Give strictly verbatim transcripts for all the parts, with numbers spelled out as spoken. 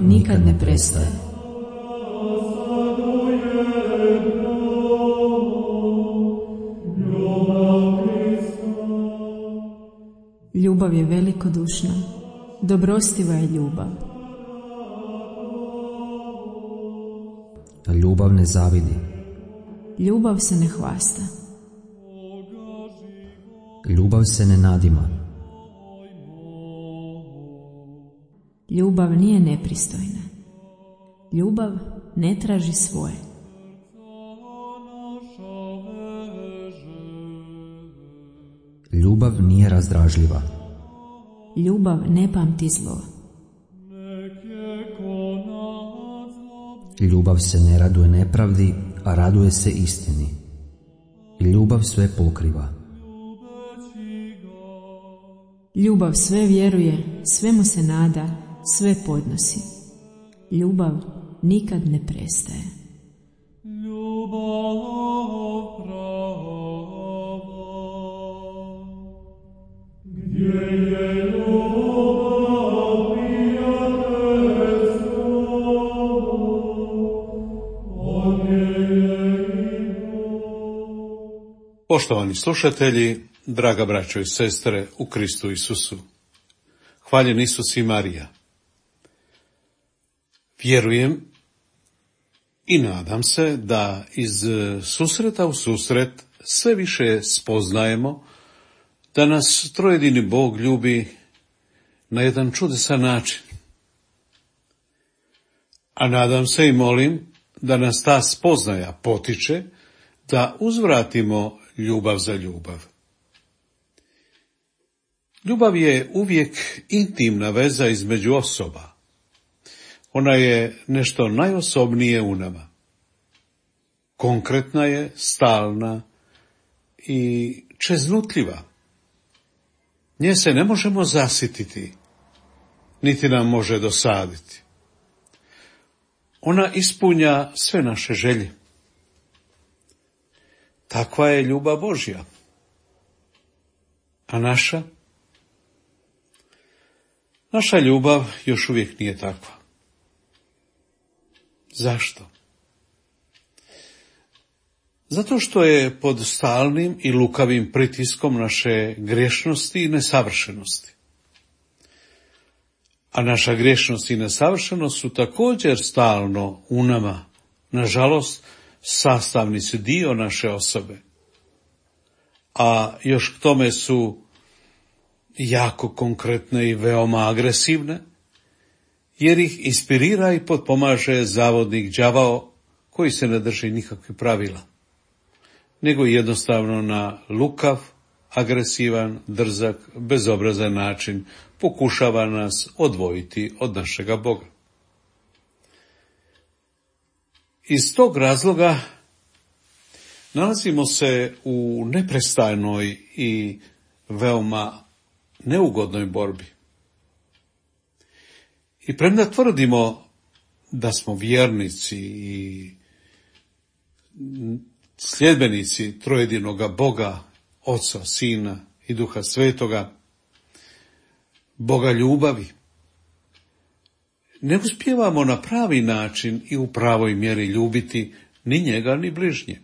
nikad ne prestaje. Ljubav je velikodušna, dobrostiva je ljubav. Ljubav ne zavidi. Ljubav se ne hvasta. Ljubav se ne nadima. Ljubav nije nepristojna. Ljubav ne traži svoje. Ljubav nije razdražljiva. Ljubav ne pamti zlo. Ljubav se ne raduje nepravdi, a raduje se istini. Ljubav sve pokriva. Ljubav sve vjeruje, sve mu se nada, sve podnosi. Ljubav nikad ne prestaje. Poštovani slušatelji, draga braćo i sestre u Kristu Isusu, hvaljen Isus i Marija. Vjerujem i nadam se da iz susreta u susret sve više spoznajemo da nas trojedini Bog ljubi na jedan čudesan način. A nadam se i molim da nas ta spoznaja potiče da uzvratimo ljubav za ljubav. Ljubav je uvijek intimna veza između osoba. Ona je nešto najosobnije u nama. Konkretna je, stalna i čeznutljiva. Nje se ne možemo zasititi, niti nam može dosaditi. Ona ispunja sve naše želje. Takva je ljubav Božja. A naša? Naša ljubav još uvijek nije takva. Zašto? Zato što je pod stalnim i lukavim pritiskom naše grešnosti i nesavršenosti. A naša grešnost i nesavršenost su također stalno u nama, nažalost, sastavni su dio naše osobe. A još k tome su jako konkretne i veoma agresivne, jer ih inspirira i potpomaže zavodnik đavao koji se ne drži nikakvih pravila, nego jednostavno na lukav, agresivan, drzak, bezobrazan način pokušava nas odvojiti od našega Boga. Iz tog razloga nalazimo se u neprestajnoj i veoma neugodnoj borbi. I premda tvrdimo da smo vjernici i sljedbenici trojedinoga Boga, Oca, Sina i Duha Svetoga, Boga ljubavi, ne uspijevamo na pravi način i u pravoj mjeri ljubiti ni njega ni bližnje.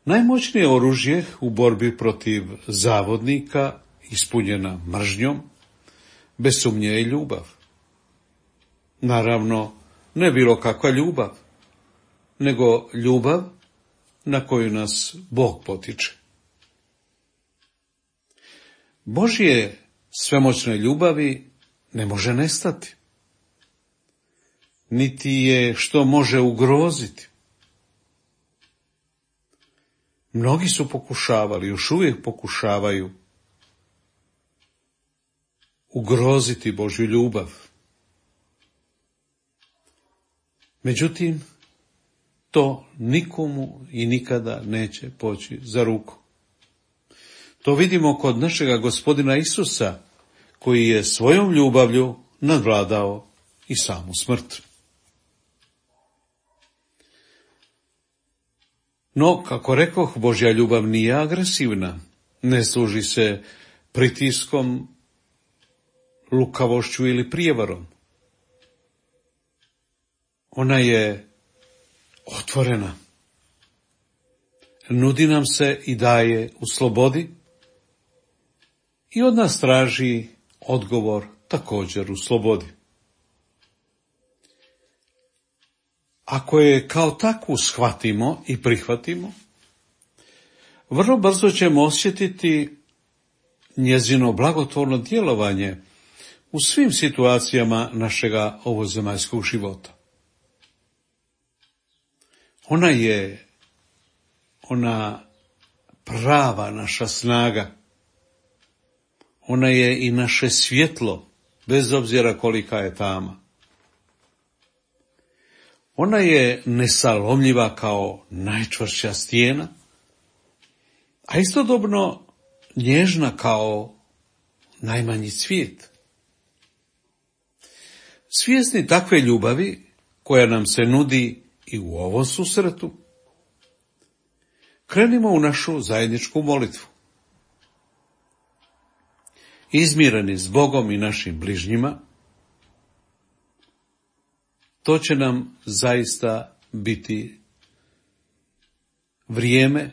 Najmoćnije oružje u borbi protiv zavodnika, ispunjena mržnjom, bez sumnje je ljubav. Naravno, ne bilo kakva ljubav, nego ljubav na koju nas Bog potiče. Božje svemoćne ljubavi ne može nestati, niti je što može ugroziti. Mnogi su pokušavali, još uvijek pokušavaju ugroziti Božju ljubav. Međutim, to nikomu i nikada neće poći za ruku. To vidimo kod našega Gospodina Isusa, koji je svojom ljubavlju nadvladao i samu smrt. No, kako rekoh, Božja ljubav nije agresivna, ne služi se pritiskom, lukavošću ili prijevarom. Ona je otvorena. Nudi nam se i daje u slobodi i od nas traži odgovor također u slobodi. Ako je kao takvu shvatimo i prihvatimo, vrlo brzo ćemo osjetiti njezino blagotvorno djelovanje u svim situacijama našega ovozemaljskog života. Ona je ona prava naša snaga. Ona je i naše svjetlo, bez obzira kolika je tama. Ona je nesalomljiva kao najčvršća stijena, a istodobno nježna kao najmanji cvijet. Svjesni takve ljubavi koja nam se nudi i u ovom susretu, krenimo u našu zajedničku molitvu. Izmireni s Bogom i našim bližnjima, to će nam zaista biti vrijeme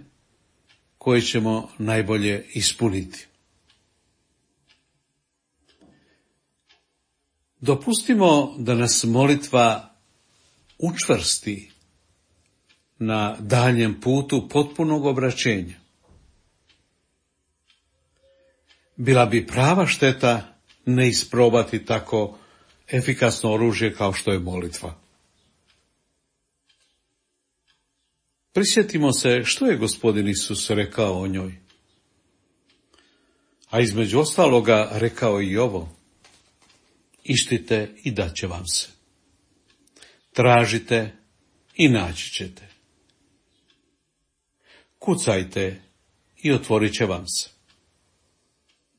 koje ćemo najbolje ispuniti. Dopustimo da nas molitva učvrsti na daljem putu potpunog obraćenja. Bila bi prava šteta ne isprobati tako efikasno oružje kao što je molitva. Prisjetimo se što je Gospodin Isus rekao o njoj. A između ostaloga rekao i ovo: ištite i dat će vam se. Tražite i naći ćete. Kucajte i otvorit će vam se.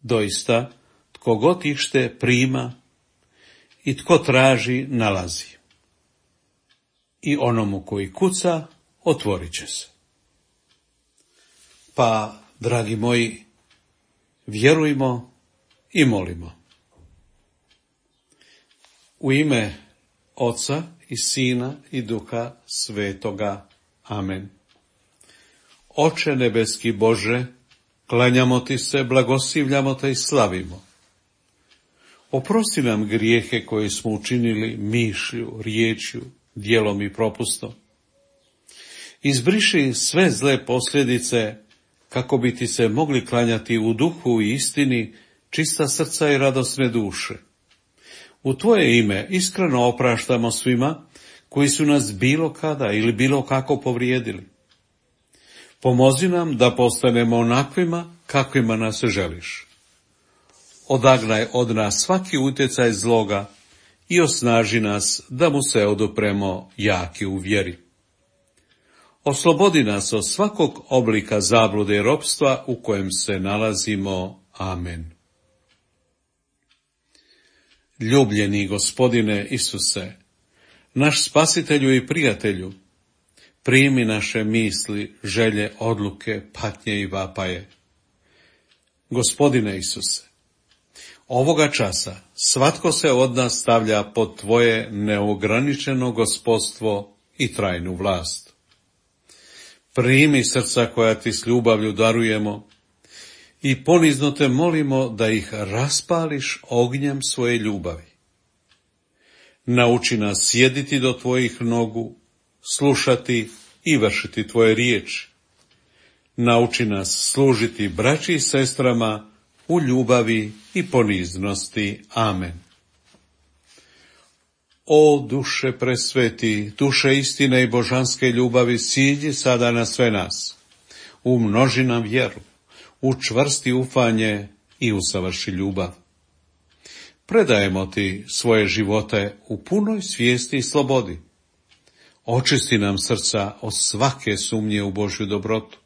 Doista, tko god ište prima i tko traži nalazi. I onomu koji kuca otvorit će se. Pa, dragi moji, vjerujmo i molimo. U ime Oca i Sina i Duha Svetoga. Amen. Oče nebeski Bože, klanjamo ti se, blagoslivljamo te i slavimo. Oprosti nam grijehe koje smo učinili mišlju, riječju, djelom i propustom. Izbriši sve zle posljedice kako bi ti se mogli klanjati u duhu i istini, čista srca i radosne duše. U tvoje ime iskreno opraštamo svima koji su nas bilo kada ili bilo kako povrijedili. Pomozi nam da postanemo onakvima kakvima nas želiš. Odagnaj od nas svaki utjecaj zloga i osnaži nas da mu se odupremo jaki u vjeri. Oslobodi nas od svakog oblika zablude i ropstva u kojem se nalazimo. Amen. Ljubljeni Gospodine Isuse, naš spasitelju i prijatelju, primi naše misli, želje, odluke, patnje i vapaje. Gospodine Isuse, ovoga časa svatko se od nas stavlja pod tvoje neograničeno gospodstvo i trajnu vlast. Primi srca koja ti s ljubavlju darujemo i ponizno te molimo da ih raspališ ognjem svoje ljubavi. Nauči nas sjediti do tvojih nogu, slušati i vršiti tvoje riječi. Nauči nas služiti braći i sestrama u ljubavi i poniznosti. Amen. O duše presveti, duše istine i božanske ljubavi, siđi sada na sve nas. Umnoži nam vjeru, učvrsti ufanje i usavrši ljubav. Predajemo ti svoje živote u punoj svijesti i slobodi. Očisti nam srca od svake sumnje u Božju dobrotu,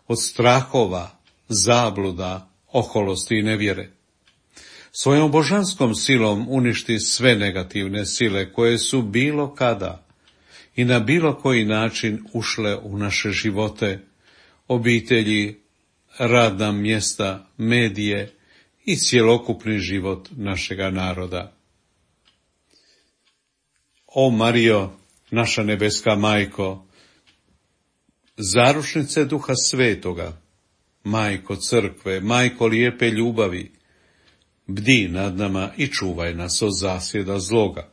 od strahova, zabluda, oholosti i nevjere. Svojom božanskom silom uništi sve negativne sile koje su bilo kada i na bilo koji način ušle u naše živote, obitelji, radna mjesta, medije i cjelokupni život našega naroda. O Marijo, naša nebeska majko, zaručnice Duha Svetoga, majko crkve, majko lijepe ljubavi, bdi nad nama i čuvaj nas od zasjeda zloga.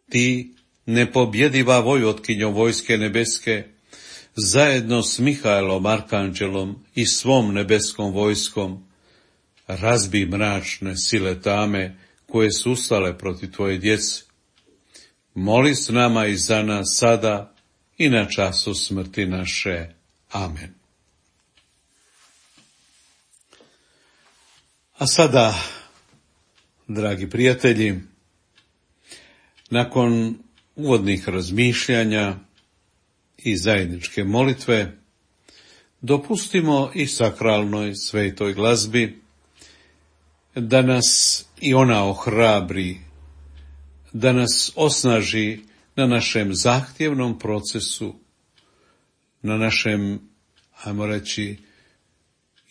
Ti, nepobjediva vojvotkinjo vojske nebeske, zajedno s Mihaelom arkanđelom i svom nebeskom vojskom, razbi mračne sile tame koje su ustale protiv tvoje djece. Moli s nama i za nas sada i na času smrti naše. Amen. A sada, dragi prijatelji, nakon uvodnih razmišljanja i zajedničke molitve, dopustimo i sakralnoj svetoj glazbi da nas i ona ohrabri, da nas osnaži na našem zahtjevnom procesu, na našem, ajmo reći,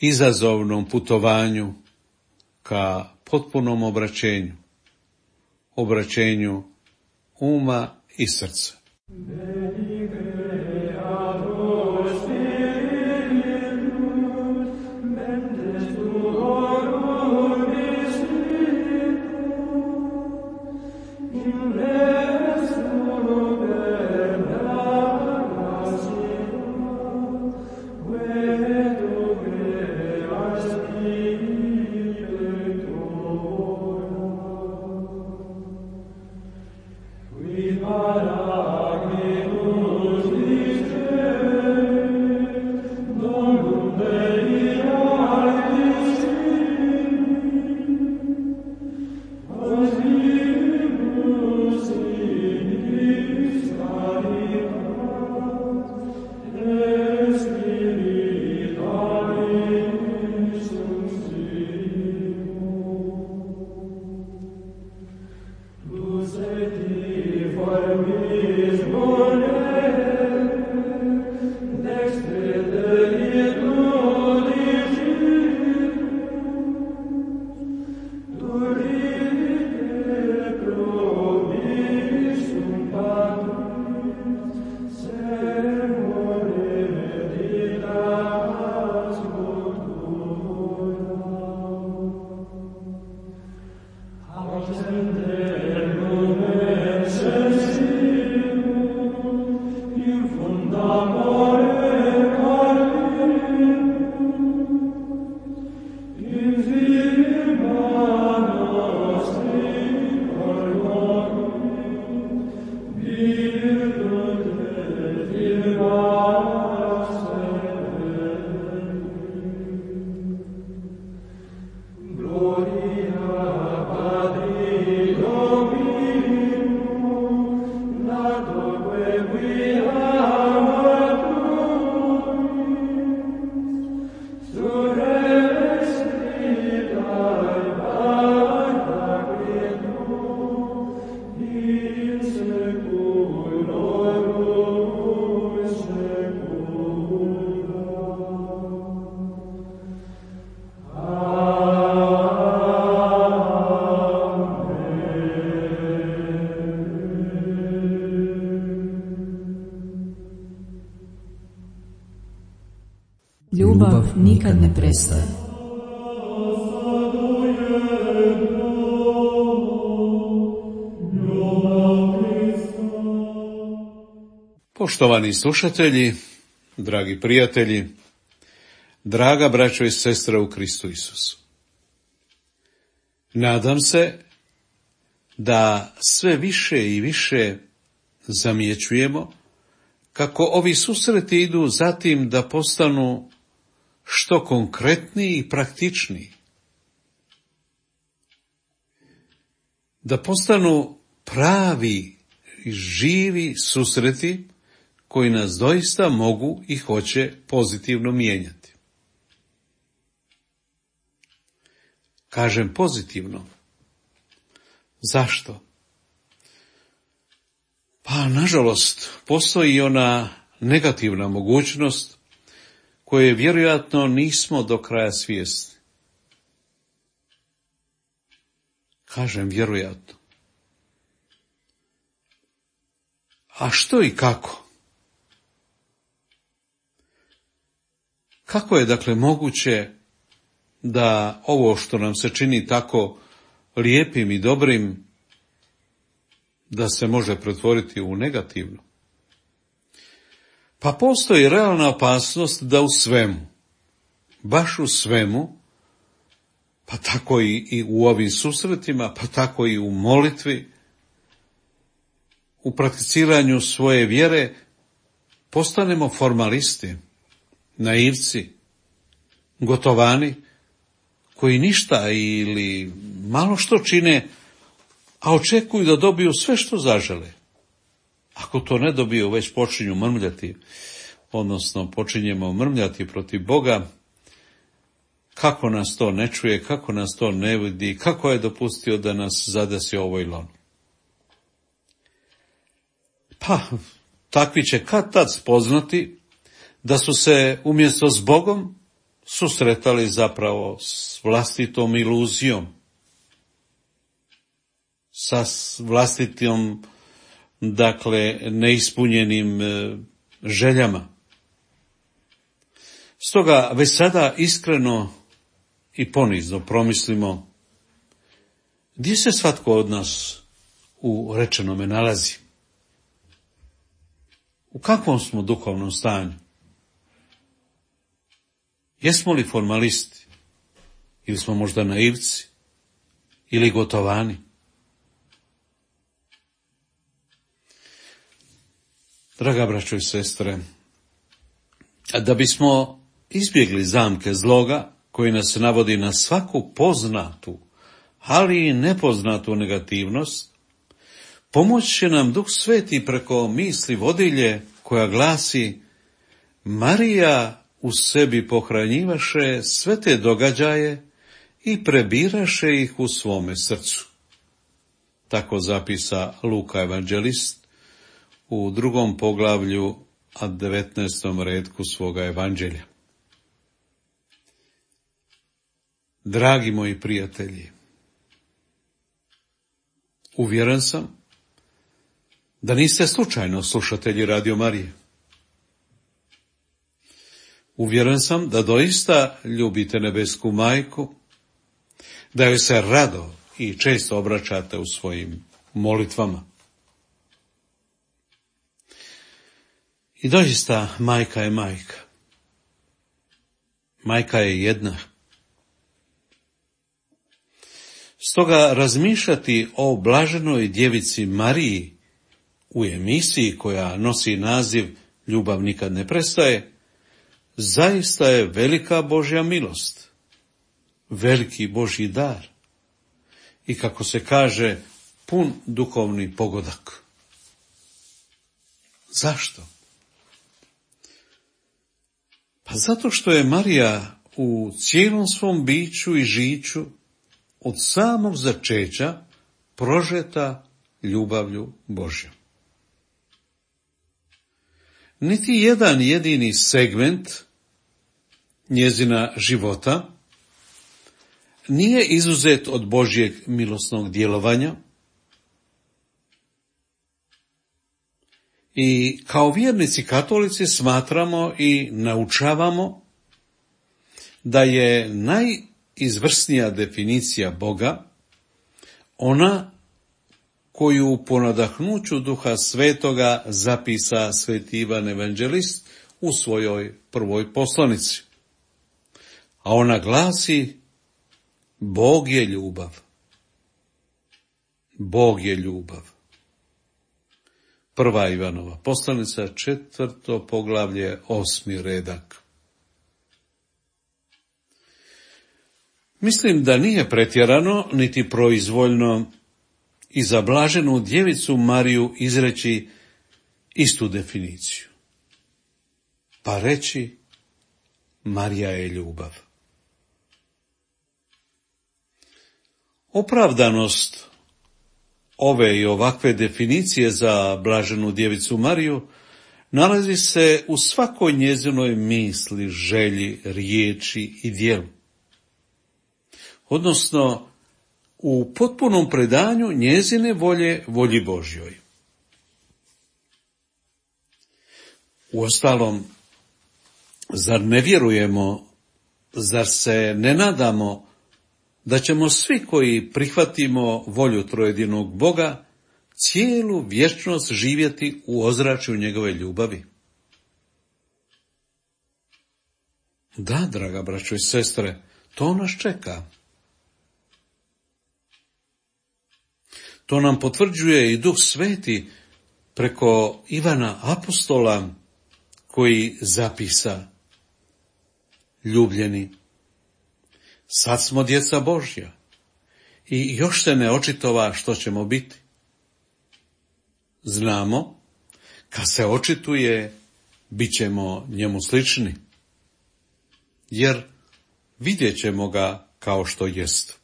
izazovnom putovanju ka potpunom obraćenju, obraćenju uma i srca. Ljubav nikad ne prestaje. Poštovani slušatelji, dragi prijatelji, draga braćo i sestre u Kristu Isusu. Nadam se da sve više i više zamjećujemo kako ovi susreti idu zatim da postanu što konkretniji i praktičniji. Da postanu pravi i živi susreti koji nas doista mogu i hoće pozitivno mijenjati. Kažem pozitivno. Zašto? Pa, nažalost, postoji ona negativna mogućnost koje vjerojatno nismo do kraja svjesni. Kažem vjerojatno. A što i kako? Kako je dakle moguće da ovo što nam se čini tako lijepim i dobrim, da se može pretvoriti u negativno? Pa postoji realna opasnost da u svemu, baš u svemu, pa tako i, i u ovim susretima, pa tako i u molitvi, u prakticiranju svoje vjere, postanemo formalisti, naivci, gotovani, koji ništa ili malo što čine, a očekuju da dobiju sve što zažele. Ako to ne dobiju, već počinju mrmljati, odnosno počinjemo mrmljati protiv Boga, kako nas to ne čuje, kako nas to ne vidi, kako je dopustio da nas zadesi ovo ili ono. Pa, takvi će kad tad spoznati da su se umjesto s Bogom susretali zapravo s vlastitom iluzijom, sa vlastitom, dakle, neispunjenim željama. Stoga već sada iskreno i ponizno promislimo gdje se svatko od nas u rečenome nalazi. U kakvom smo duhovnom stanju? Jesmo li formalisti? Ili smo možda naivci? Ili gotovani? Draga braćo i sestre, da bismo izbjegli zamke zloga koji nas navodi na svaku poznatu, ali i nepoznatu negativnost, pomoći će nam Duh Sveti preko misli vodilje koja glasi: Marija u sebi pohranjivaše sve te događaje i prebiraše ih u svome srcu. Tako zapisa Luka evanđelist u drugom poglavlju, a devetnaestom retku svoga evanđelja. Dragi moji prijatelji, uvjeren sam da niste slučajno slušatelji Radio Marije. Uvjeren sam da doista ljubite nebesku majku, da joj se rado i često obraćate u svojim molitvama. I doista majka je majka. Majka je jedna. Stoga razmišljati o blaženoj djevici Mariji u emisiji koja nosi naziv Ljubav nikad ne prestaje, zaista je velika Božja milost, veliki Božji dar i, kako se kaže, pun duhovni pogodak. Zašto? Pa zato što je Marija u cijelom svom biću i žiću od samog začeća prožeta ljubavlju Božjom. Niti jedan jedini segment njezina života nije izuzet od Božjeg milosnog djelovanja i kao vjernici katolici smatramo i naučavamo da je najizvrsnija definicija Boga ona koju po nadahnuću Duha Svetoga zapisa sveti Ivan evanđelist u svojoj prvoj poslanici. A ona glasi: Bog je ljubav. Bog je ljubav. Prva Ivanova poslanica, četvrto poglavlje, osmi redak. Mislim da nije pretjerano niti proizvoljno i za blaženu djevicu Mariju izreći istu definiciju, pa reći: Marija je ljubav. Opravdanost ove i ovakve definicije za blaženu djevicu Mariju nalazi se u svakoj njezinoj misli, želji, riječi i djelu. Odnosno, u potpunom predanju njezine volje volji Božjoj. Uostalom, zar ne vjerujemo, zar se ne nadamo da ćemo svi koji prihvatimo volju trojedinog Boga cijelu vječnost živjeti u ozračju njegove ljubavi? Da, draga braćo i sestre, to nas čeka. To nam potvrđuje i Duh Sveti preko Ivana Apostola, koji zapisa: ljubljeni, sad smo djeca Božja i još se ne očitova što ćemo biti. Znamo, kad se očituje, bit ćemo njemu slični, jer vidjet ćemo ga kao što jest.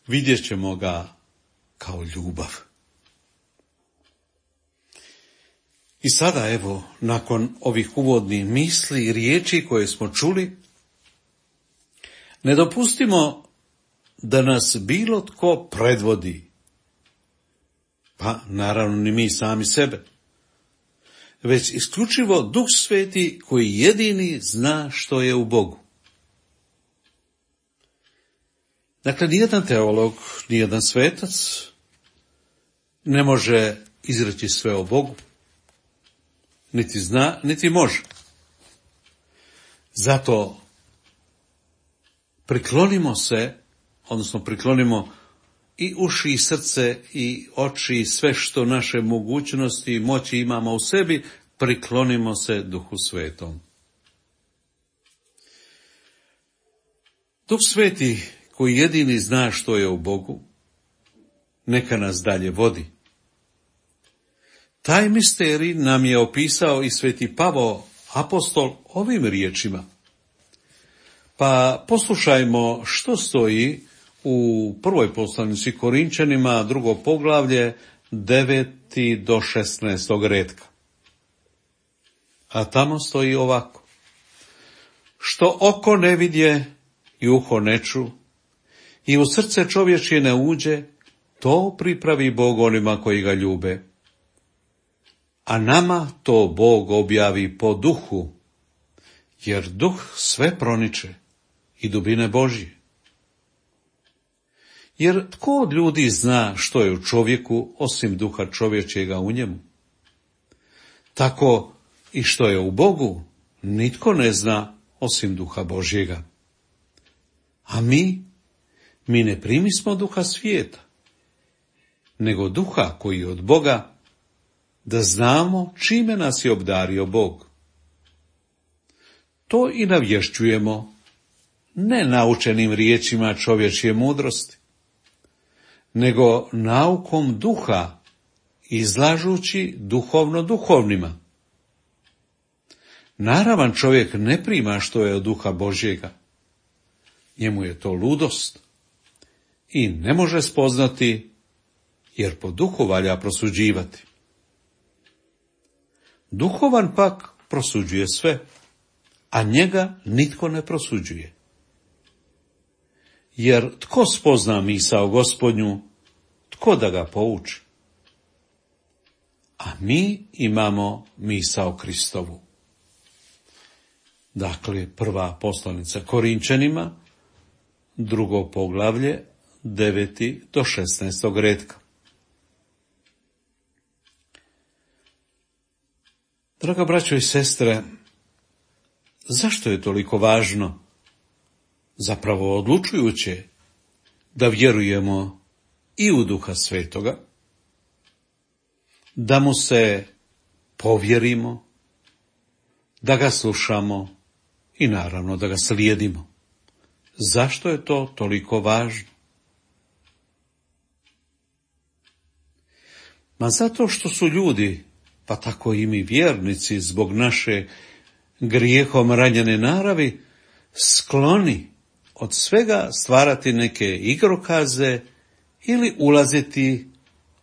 Vidjet ćemo ga kao ljubav. I sada, evo, nakon ovih uvodnih misli i riječi koje smo čuli, ne dopustimo da nas bilo tko predvodi, pa naravno ni mi sami sebe, već isključivo Duh Sveti koji jedini zna što je u Bogu. Dakle, nijedan teolog, nijedan svetac ne može izreći sve o Bogu, niti zna, niti može. Zato priklonimo se, odnosno priklonimo i uši i srce i oči i sve što naše mogućnosti i moći imamo u sebi, priklonimo se Duhu Svetom. Duh Sveti koji jedini zna što je u Bogu, neka nas dalje vodi. Taj misterij nam je opisao i sveti Pavao apostol ovim riječima. Pa poslušajmo što stoji u prvoj poslanici Korinčanima, drugo poglavlje, deveti do šesnaestog redka. A tamo stoji ovako: što oko ne vidje i uho ne ču i u srce čovječje ne uđe, to pripravi Bog onima koji ga ljube. A nama to Bog objavi po duhu, jer duh sve proniče i dubine Božje. Jer tko od ljudi zna što je u čovjeku osim duha čovječjega u njemu? Tako i što je u Bogu nitko ne zna osim duha Božjega. A mi, mi ne primismo duha svijeta, nego duha koji je od Boga, da znamo čime nas je obdario Bog. To i navješćujemo, ne naučenim riječima čovječje mudrosti, nego naukom duha, izlažući duhovno duhovnima. Naravan čovjek ne prima što je od duha Božjega. Njemu je to ludost i ne može spoznati, jer po duhu valja prosuđivati. Duhovan pak prosuđuje sve, a njega nitko ne prosuđuje. Jer tko spozna misao Gospodnju, tko da ga pouči? A mi imamo misao Kristovu. Dakle, prva poslanica Korinčanima, drugo poglavlje, deveti do šesnaestog redka. Draga braćo i sestre, zašto je toliko važno, zapravo odlučujuće, da vjerujemo i u Duha Svetoga, da mu se povjerimo, da ga slušamo i naravno da ga slijedimo? Zašto je to toliko važno? Ma zato što su ljudi, pa tako i mi vjernici, zbog naše grijehom ranjene naravi, skloni od svega stvarati neke igrokaze ili ulaziti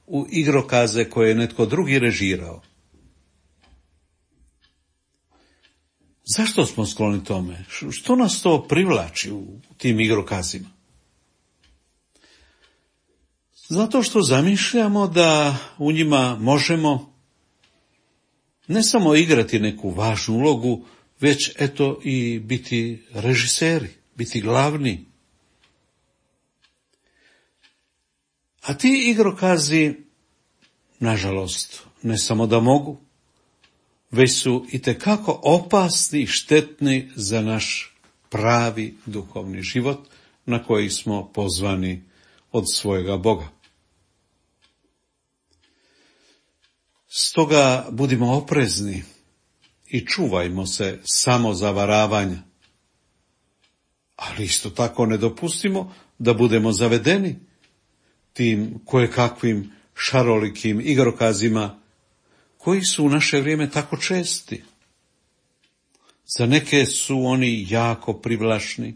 u igrokaze koje je netko drugi režirao. Zašto smo skloni tome? Što nas to privlači u tim igrokazima? Zato što zamišljamo da u njima možemo ne samo igrati neku važnu ulogu, već eto i biti režiseri, biti glavni. A ti igrokazi, nažalost, ne samo da mogu, već su itekako opasni i štetni za naš pravi duhovni život na koji smo pozvani od svojega Boga. Stoga budimo oprezni i čuvajmo se samozavaravanja, ali isto tako ne dopustimo da budemo zavedeni tim kojekakvim šarolikim igrokazima koji su u naše vrijeme tako česti. Za neke su oni jako privlačni,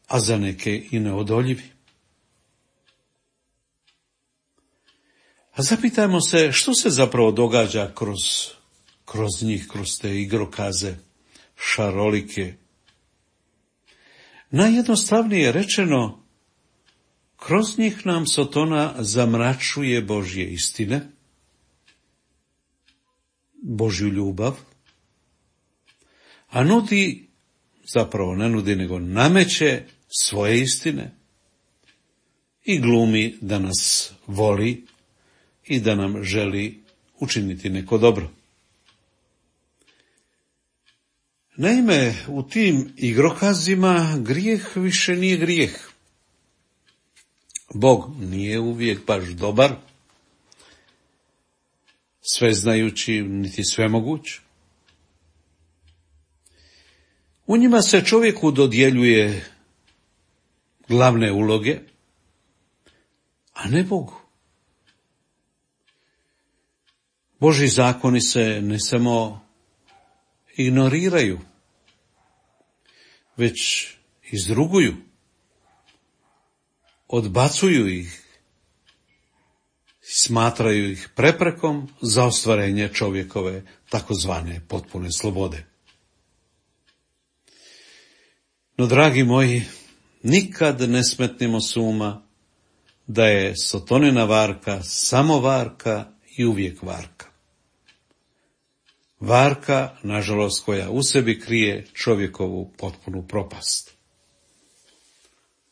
a za neke i neodoljivi. A zapitajmo se što se zapravo događa kroz, kroz njih, kroz te igrokaze, šarolike. Najjednostavnije rečeno, kroz njih nam Sotona zamračuje Božje istine, Božju ljubav, a nudi, zapravo ne nudi, nego nameće svoje istine i glumi da nas voli i da nam želi učiniti neko dobro. Naime, u tim igrokazima grijeh više nije grijeh. Bog nije uvijek baš dobar, sveznajući niti svemoguć. U njima se čovjeku dodjeljuje glavne uloge, a ne Bogu. Božji zakoni se ne samo ignoriraju, već izruguju, odbacuju ih, smatraju ih preprekom za ostvarenje čovjekove takozvane potpune slobode. No, dragi moji, nikad ne smetnimo s uma da je Sotonina varka samo varka i uvijek varka. Varka, nažalost, koja u sebi krije čovjekovu potpunu propast.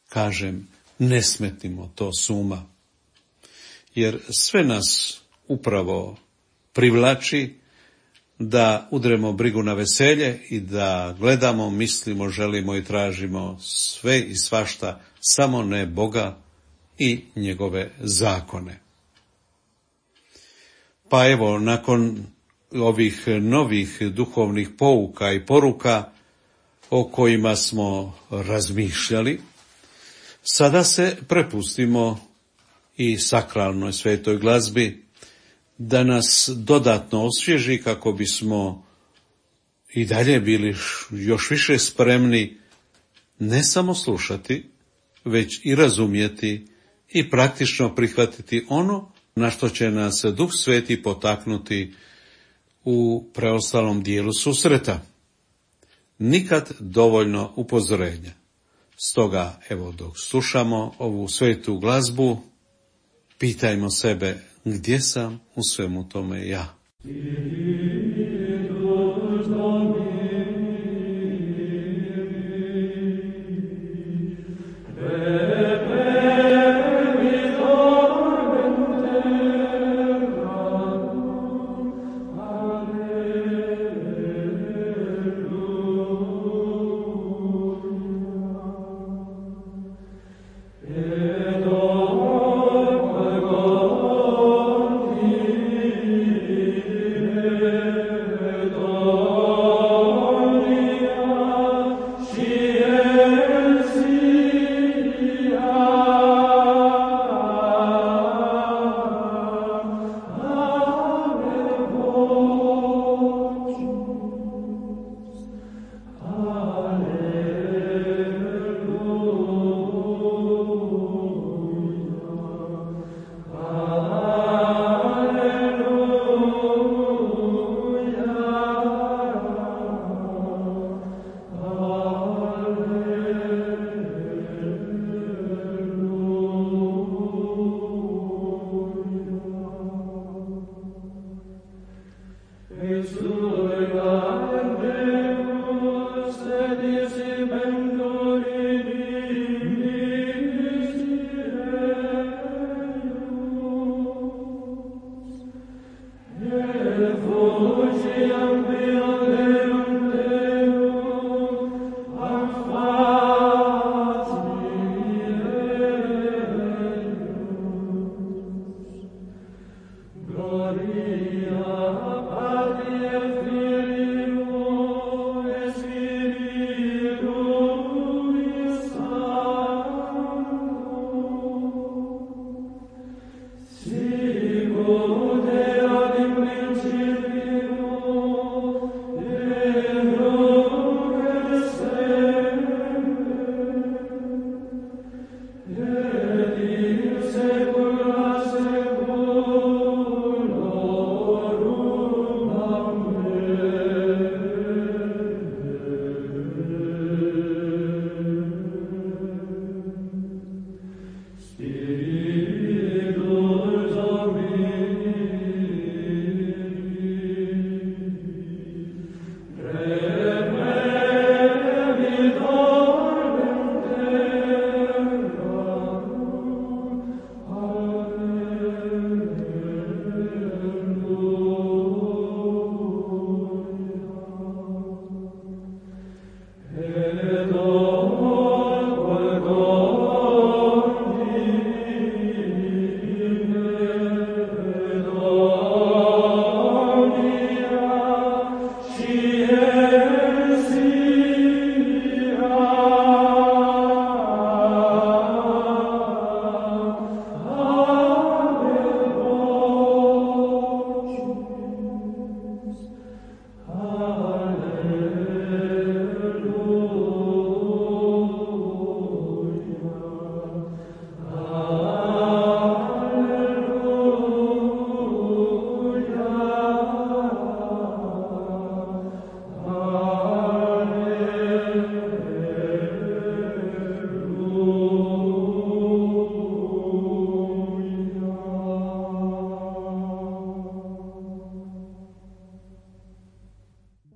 Kažem, ne smetnimo to s uma, jer sve nas upravo privlači da udremo brigu na veselje i da gledamo, mislimo, želimo i tražimo sve i svašta, samo ne Boga i njegove zakone. Pa evo, nakon ovih novih duhovnih pouka i poruka o kojima smo razmišljali, sada se prepustimo i sakralnoj svetoj glazbi da nas dodatno osvježi kako bismo i dalje bili još više spremni ne samo slušati, već i razumjeti i praktično prihvatiti ono na što će nas Duh Sveti potaknuti u preostalom dijelu susreta. Nikad dovoljno upozorenja. Stoga, evo, dok slušamo ovu svetu glazbu, pitajmo sebe, gdje sam u svemu tome ja? Amen.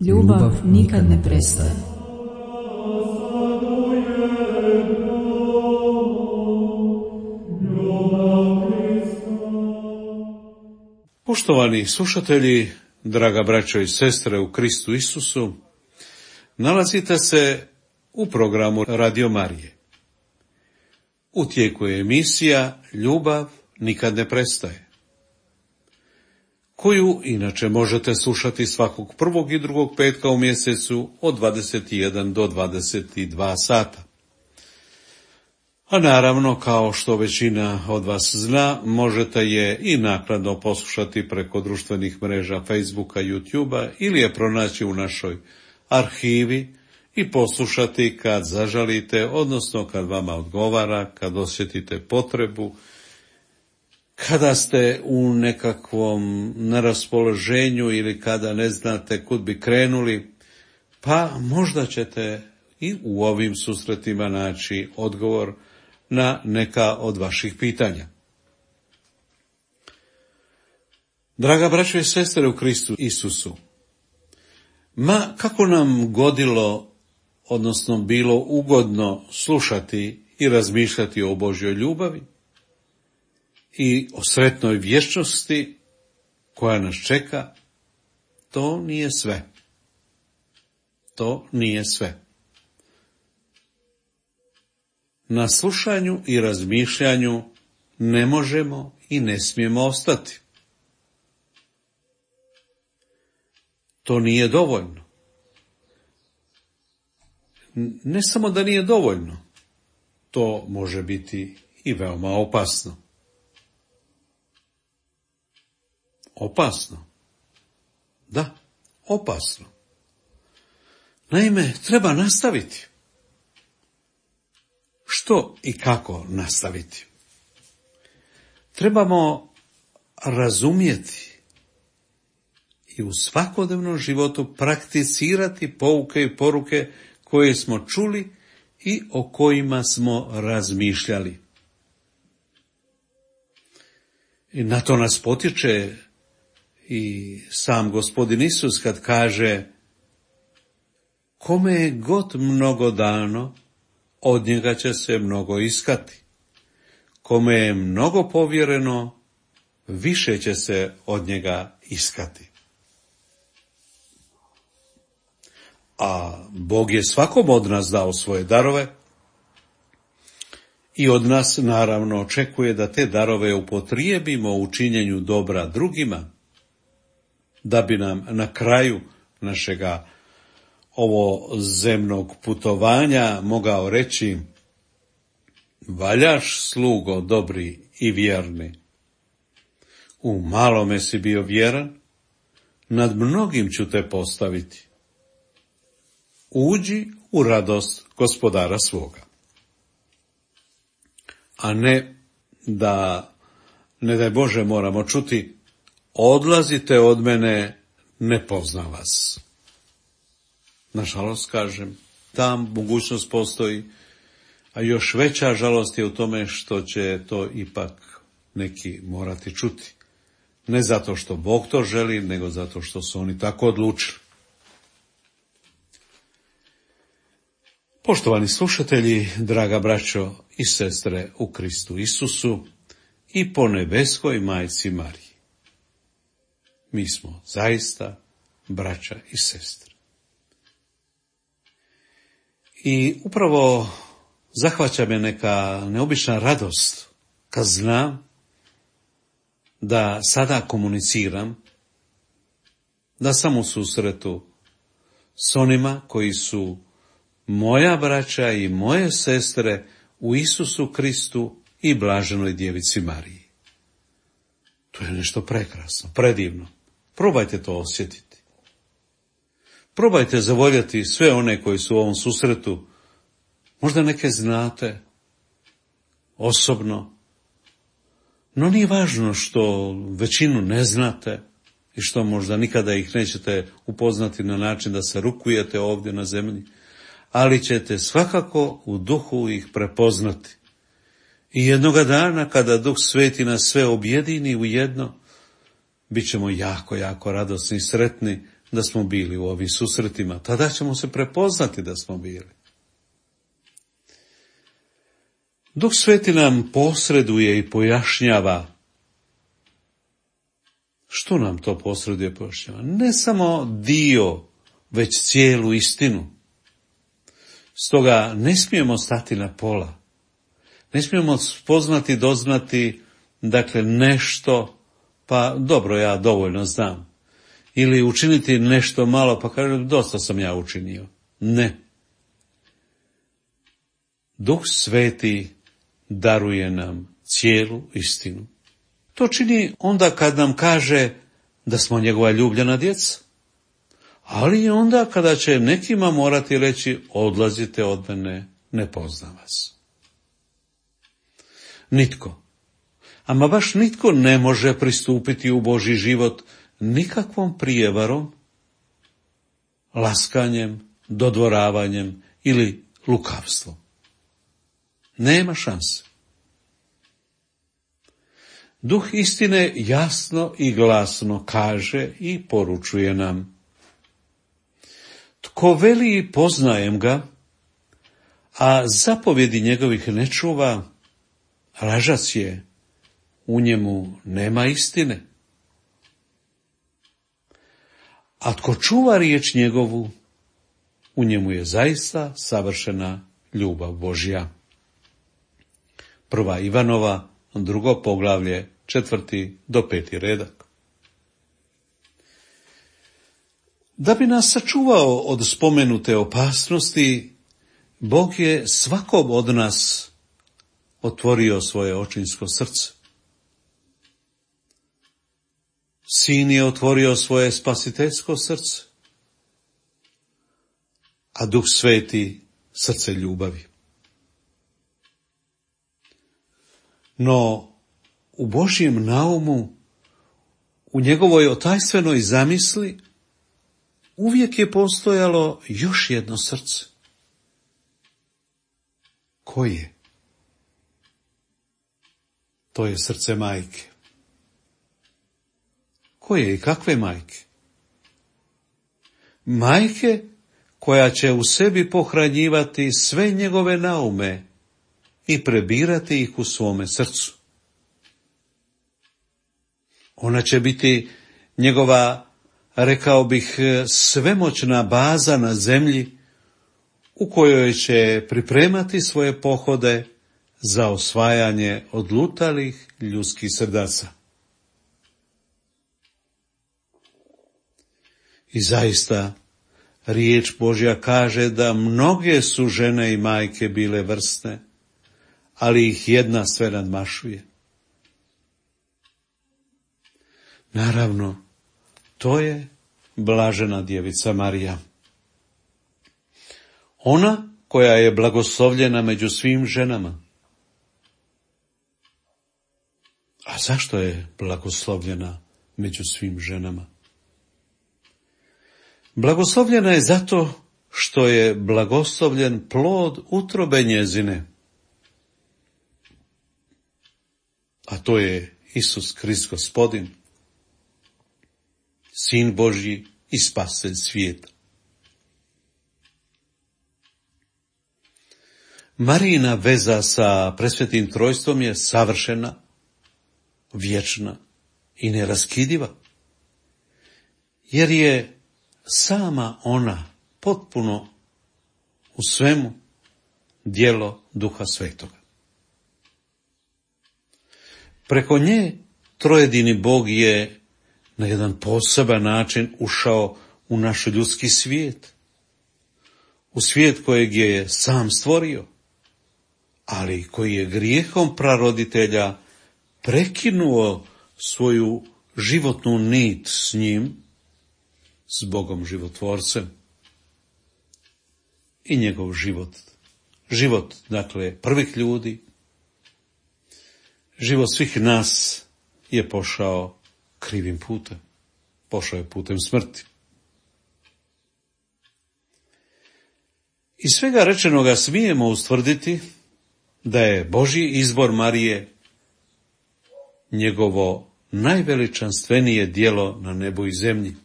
Ljubav nikad ne prestaje. Poštovani slušatelji, draga braćo i sestre u Kristu Isusu, nalazite se u programu Radio Marije. U tijeku je emisija Ljubav nikad ne prestaje, koju inače možete slušati svakog prvog i drugog petka u mjesecu od dvadeset jedan do dvadeset dva sata. A naravno, kao što većina od vas zna, možete je i naknadno poslušati preko društvenih mreža Facebooka, YouTubea ili je pronaći u našoj arhivi i poslušati kad zažalite, odnosno kad vama odgovara, kad osjetite potrebu, kada ste u nekakvom neraspoloženju ili kada ne znate kud bi krenuli, pa možda ćete i u ovim susretima naći odgovor na neka od vaših pitanja. Draga braćo i sestre u Kristu Isusu, ma kako nam godilo, odnosno bilo ugodno slušati i razmišljati o Božjoj ljubavi i o sretnoj vječnosti koja nas čeka, to nije sve. To nije sve. Na slušanju i razmišljanju ne možemo i ne smijemo ostati. To nije dovoljno. Ne samo da nije dovoljno, to može biti i veoma opasno. Opasno. Da, opasno. Naime, treba nastaviti. Što i kako nastaviti? Trebamo razumjeti i u svakodnevnom životu prakticirati pouke i poruke koje smo čuli i o kojima smo razmišljali. I na to nas potiče i sam Gospodin Isus kad kaže: kome je god mnogo dano, od njega će se mnogo iskati. Kome je mnogo povjereno, više će se od njega iskati. A Bog je svakom od nas dao svoje darove i od nas naravno očekuje da te darove upotrijebimo u činjenju dobra drugima, da bi nam na kraju našega ovo zemnog putovanja mogao reći: valjaš, slugo dobri i vjerni. U malome si bio vjeran, nad mnogim ću te postaviti. Uđi u radost gospodara svoga. A ne da, ne daj Bože, moramo čuti: odlazite od mene, ne poznam vas. Nažalost, kažem, ta mogućnost postoji, a još veća žalost je u tome što će to ipak neki morati čuti. Ne zato što Bog to želi, nego zato što su oni tako odlučili. Poštovani slušatelji, draga braćo i sestre u Kristu Isusu i po nebeskoj majci Mariji, mi smo zaista braća i sestre. I upravo zahvaća me neka neobična radost kad znam da sada komuniciram, da sam u susretu s onima koji su moja braća i moje sestre u Isusu Kristu i blaženoj djevici Mariji. To je nešto prekrasno, predivno. Probajte to osjetiti. Probajte zavoljeti sve one koji su u ovom susretu. Možda neke znate osobno, no nije važno što većinu ne znate i što možda nikada ih nećete upoznati na način da se rukujete ovdje na zemlji, ali ćete svakako u duhu ih prepoznati. I jednoga dana kada Duh Sveti nas sve objedini u jedno, bit ćemo jako, jako radosni i sretni da smo bili u ovim susretima. Tada ćemo se prepoznati da smo bili. Duh Sveti nam posreduje i pojašnjava. Što nam to posreduje i pojašnjava? Ne samo dio, već cijelu istinu. Stoga ne smijemo stati na pola. Ne smijemo spoznati, doznati, dakle, nešto, pa dobro, ja dovoljno znam. Ili učiniti nešto malo, pa kažem, dosta sam ja učinio. Ne. Duh Sveti daruje nam cijelu istinu. To čini onda kad nam kaže da smo njegova ljubljena djeca. Ali i onda kada će nekima morati reći, odlazite od mene, ne poznam vas. Nitko, ama baš nitko ne može pristupiti u Božji život nikakvom prijevarom, laskanjem, dodvoravanjem ili lukavstvom. Nema šanse. Duh istine jasno i glasno kaže i poručuje nam. Tko veli poznajem ga, a zapovjedi njegovih ne čuva, lažac je, u njemu nema istine. A tko čuva riječ njegovu, u njemu je zaista savršena ljubav Božja. Prva Ivanova, drugo poglavlje, četvrti do peti redak. Da bi nas sačuvao od spomenute opasnosti, Bog je svakom od nas otvorio svoje očinsko srce. Sin je otvorio svoje spasiteljsko srce, a Duh Sveti srce ljubavi. No, u Božjem naumu, u njegovoj otajstvenoj zamisli, uvijek je postojalo još jedno srce. Koje? To je srce majke. Koje i kakve majke? Majke koja će u sebi pohranjivati sve njegove naume i prebirati ih u svome srcu. Ona će biti njegova, rekao bih, svemoćna baza na zemlji u kojoj će pripremati svoje pohode za osvajanje odlutalih ljudskih srdaca. I zaista, riječ Božja kaže da mnoge su žene i majke bile vrsne, ali ih jedna sve nadmašuje. Naravno, to je blažena djevica Marija. Ona koja je blagoslovljena među svim ženama. A zašto je blagoslovljena među svim ženama? Blagoslovljena je zato što je blagoslovljen plod utrobe njezine. A to je Isus Krist Gospodin, Sin Božji i Spasitelj svijeta. Marijina veza sa presvetim trojstvom je savršena, vječna i neraskidiva, jer je sama ona potpuno u svemu djelo Duha Svetoga. Preko nje trojedini Bog je na jedan poseban način ušao u naš ljudski svijet, u svijet kojeg je sam stvorio, ali koji je grijehom praroditelja prekinuo svoju životnu nit s njim, s Bogom životvorcem. I njegov život, život, dakle, prvih ljudi, život svih nas je pošao krivim putem, pošao je putem smrti. Iz svega rečenoga smijemo ustvrditi da je Božji izbor Marije njegovo najveličanstvenije djelo na nebu i zemlji.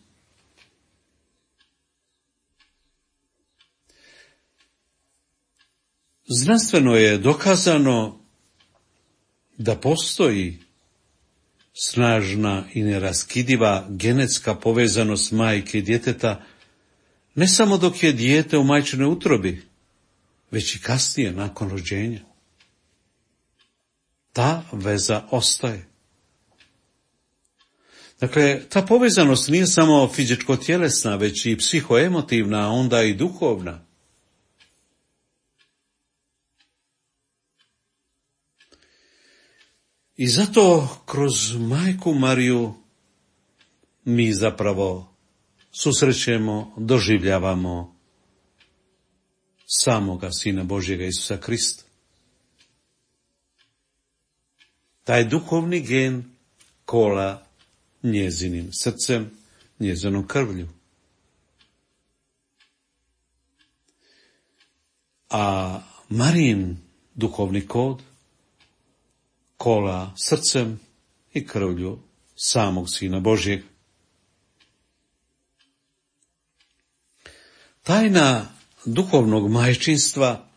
Znanstveno je dokazano da postoji snažna i neraskidiva genetska povezanost majke i djeteta, ne samo dok je dijete u majčinoj utrobi, već i kasnije nakon rođenja. Ta veza ostaje. Dakle, ta povezanost nije samo fizičko-tjelesna, već i psihoemotivna, a onda i duhovna. I zato kroz Majku Mariju mi zapravo susrećemo, doživljavamo samoga Sina Božjega Isusa Krista. Taj duhovni gen kola njezinim srcem, njezinom krvlju. A Marijin duhovni kod kola srcem i krvlju samog Sina Božjeg. Tajna duhovnog majčinstva,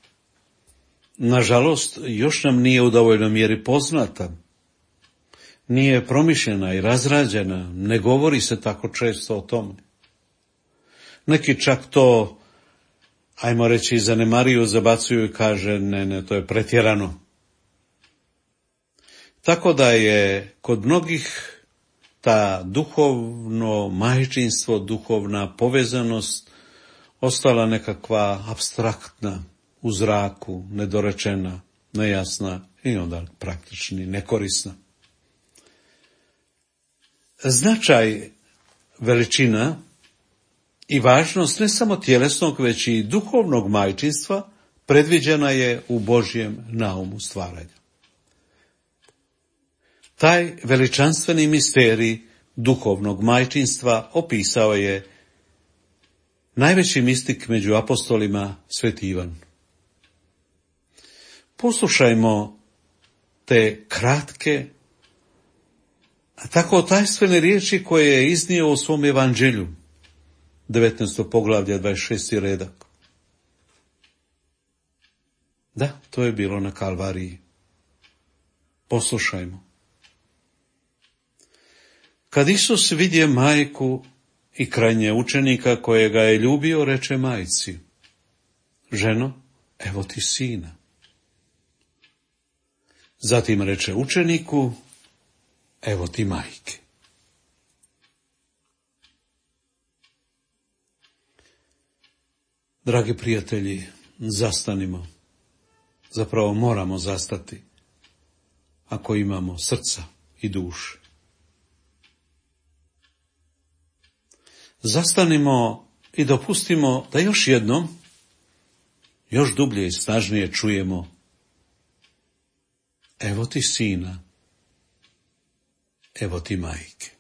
nažalost, još nam nije u dovoljnoj mjeri poznata. Nije promišljena i razrađena, ne govori se tako često o tome. Neki čak to, ajmo reći, zanemaruju, zabacuju i kaže, ne, ne, to je pretjerano. Tako da je kod mnogih ta duhovno majčinstvo, duhovna povezanost ostala nekakva apstraktna, u zraku, nedorečena, nejasna i onda praktični nekorisna. Značaj, veličina i važnost ne samo tjelesnog, već i duhovnog majčinstva predviđena je u Božjem naumu stvaranja. Taj veličanstveni misterij duhovnog majčinstva opisao je najveći mistik među apostolima, Sveti Ivan. Poslušajmo te kratke, a tako tajstvene riječi koje je iznio u svom evanđelju, devetnaesto poglavlje, dvadeset šesti redak. Da, to je bilo na Kalvariji. Poslušajmo. Kad Isus vidje majku i krajnje učenika kojega je ljubio, reče majci, ženo, evo ti sina. Zatim reče učeniku, evo ti majke. Dragi prijatelji, zastanimo. Zapravo moramo zastati ako imamo srca i duše. Zastanimo i dopustimo da još jednom, još dublje i snažnije čujemo, evo ti sina, evo ti majke.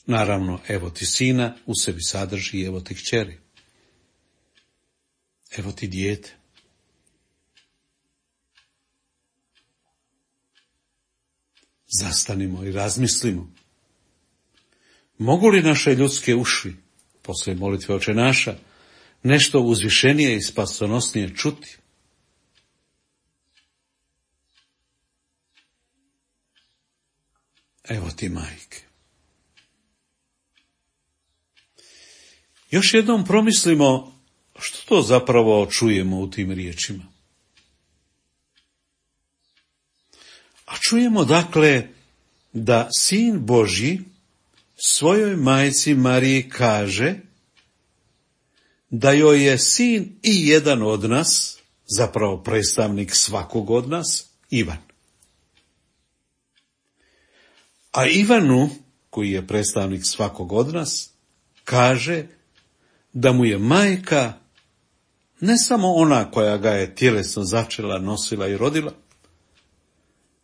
Naravno, evo ti sina u sebi sadrži evo ti kćeri. Evo ti dijete. Zastanimo i razmislimo. Mogu li naše ljudske uši, poslije molitve Oče naša, nešto uzvišenije i spasonosnije čuti? Evo ti majke. Još jednom promislimo što to zapravo čujemo u tim riječima. A čujemo dakle da Sin Božji svojoj majci Mariji kaže da joj je sin i jedan od nas, zapravo predstavnik svakog od nas, Ivan. A Ivanu, koji je predstavnik svakog od nas, kaže da mu je majka ne samo ona koja ga je tjelesno začela, nosila i rodila,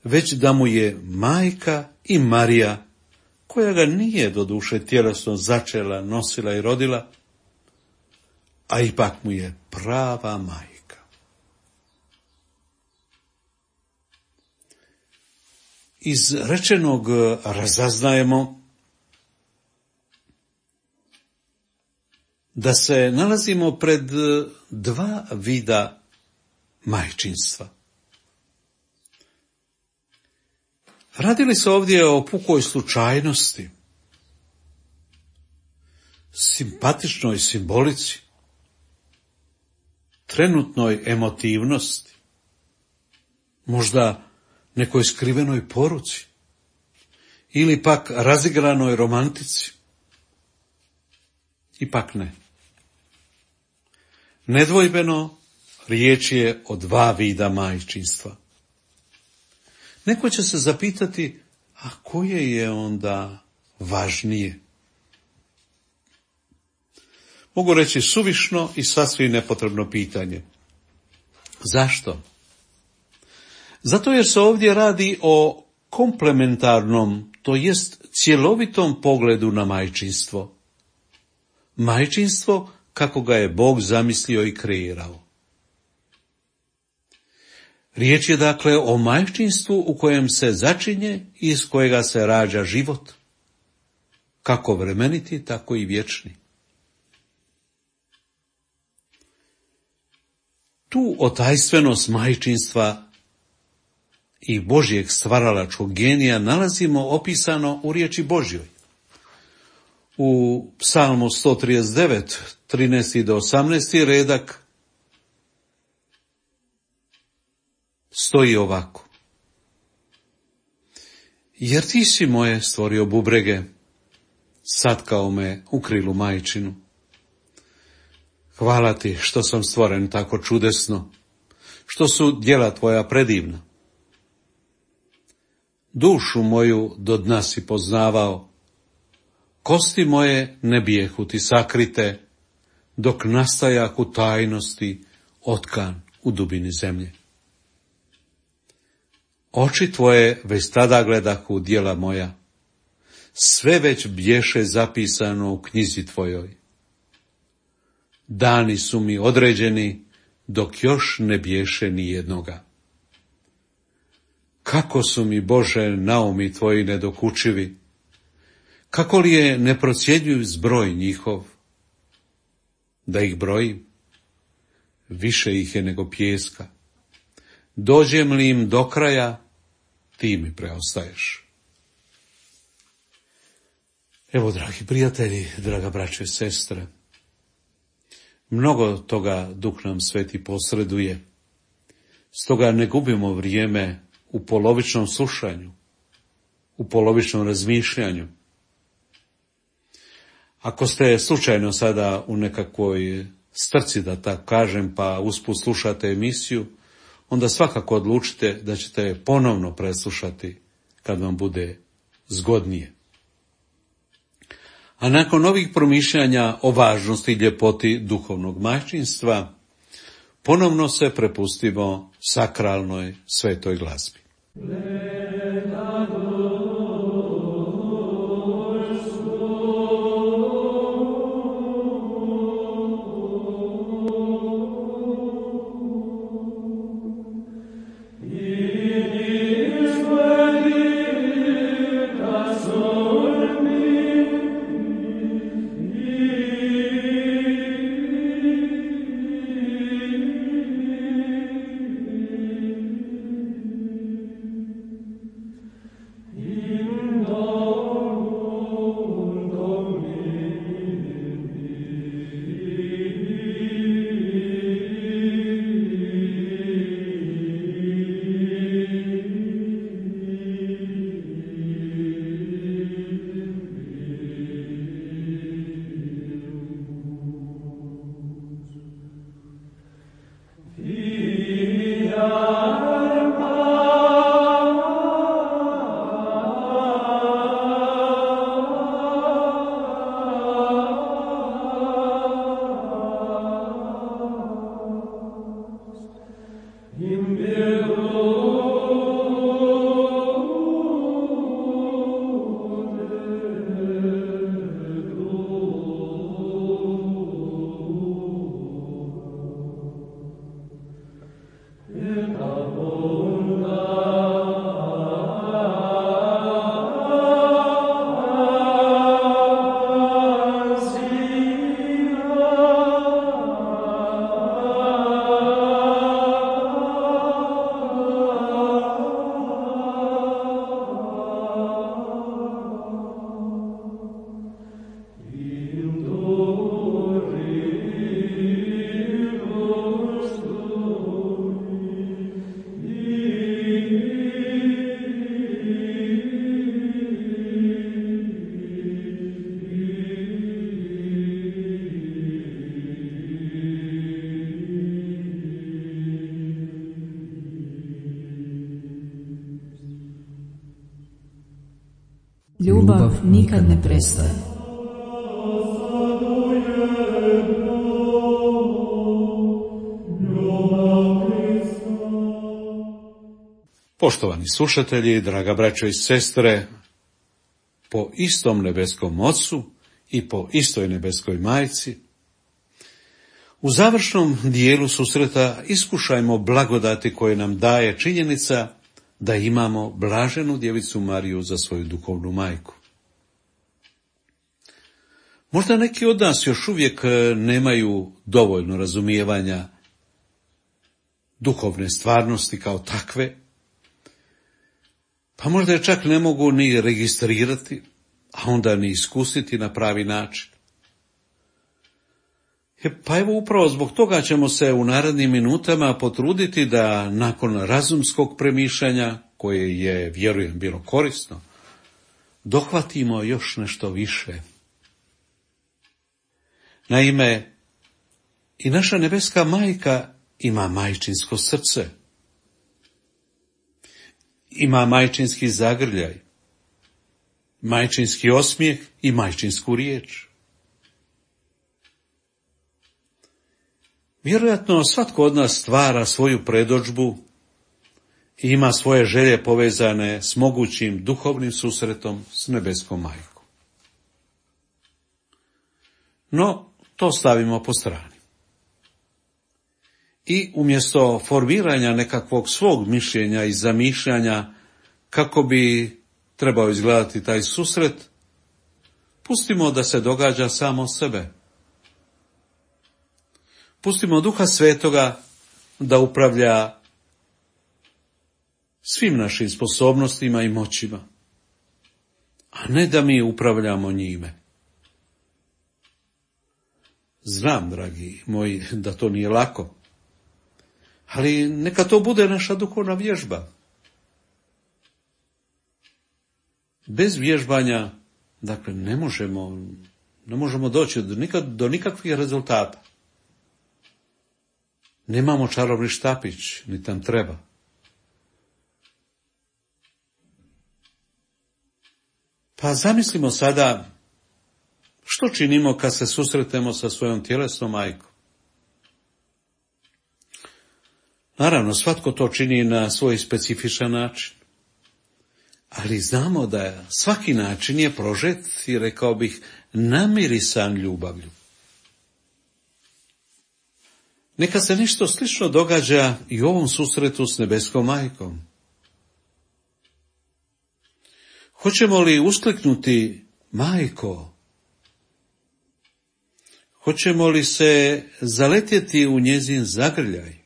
već da mu je majka i Marija, koja ga nije doduše tjelesno začela, nosila i rodila, a ipak mu je prava majka. Iz rečenog razaznajemo da se nalazimo pred dva vida majčinstva. Radili se ovdje o pukoj slučajnosti, simpatičnoj simbolici, trenutnoj emotivnosti, možda nekoj skrivenoj poruci ili pak razigranoj romantici. Ipak ne. Nedvojbeno riječ je o dva vida majčinstva. Neko će se zapitati, a koje je onda važnije? Mogu reći suvišno i sasvim nepotrebno pitanje. Zašto? Zato jer se ovdje radi o komplementarnom, to jest cjelovitom pogledu na majčinstvo. Majčinstvo kako ga je Bog zamislio i kreirao. Riječ je dakle o majčinstvu u kojem se začinje i iz kojega se rađa život, kako vremeniti, tako i vječni. Tu otajstvenost majčinstva i Božjeg stvaralačkog genija nalazimo opisano u riječi Božjoj. U Psalmu sto trideset devet, trinaesti do osamnaesti redak stoji ovako. Jer ti si moje stvorio bubrege, satkao me u krilu majčinu. Hvala ti što sam stvoren tako čudesno, što su djela tvoja predivna. Dušu moju do dna si poznavao, kosti moje ne bijehu ti sakrite, dok nastajak u tajnosti otkan u dubini zemlje. Oči tvoje već tada gledahu djela moja, sve već bješe zapisano u knjizi tvojoj. Dani su mi određeni, dok još ne bješe ni jednoga. Kako su mi, Bože, naumi tvoji nedokučivi, kako li je neprocjenjiv zbroj njihov? Da ih brojim, više ih je nego pijeska. Dođem li im do kraja, ti mi preostaješ. Evo, dragi prijatelji, draga braćo i sestre, mnogo toga Duh nam Sveti posreduje, stoga ne gubimo vrijeme u polovičnom slušanju, u polovičnom razmišljanju. Ako ste slučajno sada u nekakvoj strci, da tako kažem, pa usput slušate emisiju, onda svakako odlučite da ćete je ponovno preslušati kad vam bude zgodnije. A nakon ovih promišljanja o važnosti i ljepoti duhovnog majčinstva, ponovno se prepustimo sakralnoj svetoj glazbi. Ljubav nikad ne prestaje. Poštovani slušatelji, draga braćo i sestre, po istom nebeskom Ocu i po istoj nebeskoj Majci, u završnom dijelu susreta iskušajmo blagodati koje nam daje činjenica da imamo blaženu djevicu Mariju za svoju duhovnu majku. Možda neki od nas još uvijek nemaju dovoljno razumijevanja duhovne stvarnosti kao takve, pa možda je čak ne mogu ni registrirati, a onda ni iskusiti na pravi način. E, pa evo upravo zbog toga ćemo se u narednim minutama potruditi da nakon razumskog premišljanja, koje je, vjerujem, bilo korisno, dohvatimo još nešto više. Naime, i naša nebeska majka ima majčinsko srce. Ima majčinski zagrljaj, majčinski osmijeh i majčinsku riječ. Vjerojatno svatko od nas stvara svoju predodžbu i ima svoje želje povezane s mogućim duhovnim susretom s nebeskom majkom. No, to stavimo po strani. I umjesto formiranja nekakvog svog mišljenja i zamišljanja kako bi trebao izgledati taj susret, pustimo da se događa samo sebe. Pustimo Duha Svetoga da upravlja svim našim sposobnostima i moćima, a ne da mi upravljamo njime. Znam, dragi moji, da to nije lako, ali neka to bude naša duhovna vježba. Bez vježbanja, dakle, ne možemo, ne možemo doći do, nikad, do nikakvih rezultata. Nemamo čarobni štapić, ni tam treba. Pa zamislimo sada što činimo kad se susretemo sa svojom tjelesnom majkom. Naravno, svatko to čini na svoj specifičan način. Ali znamo da svaki način je prožet i, rekao bih, namirisan ljubavlju. Neka se nešto slično događa i u ovom susretu s nebeskom majkom. Hoćemo li uskliknuti majko? Hoćemo li se zaletjeti u njezin zagrljaj?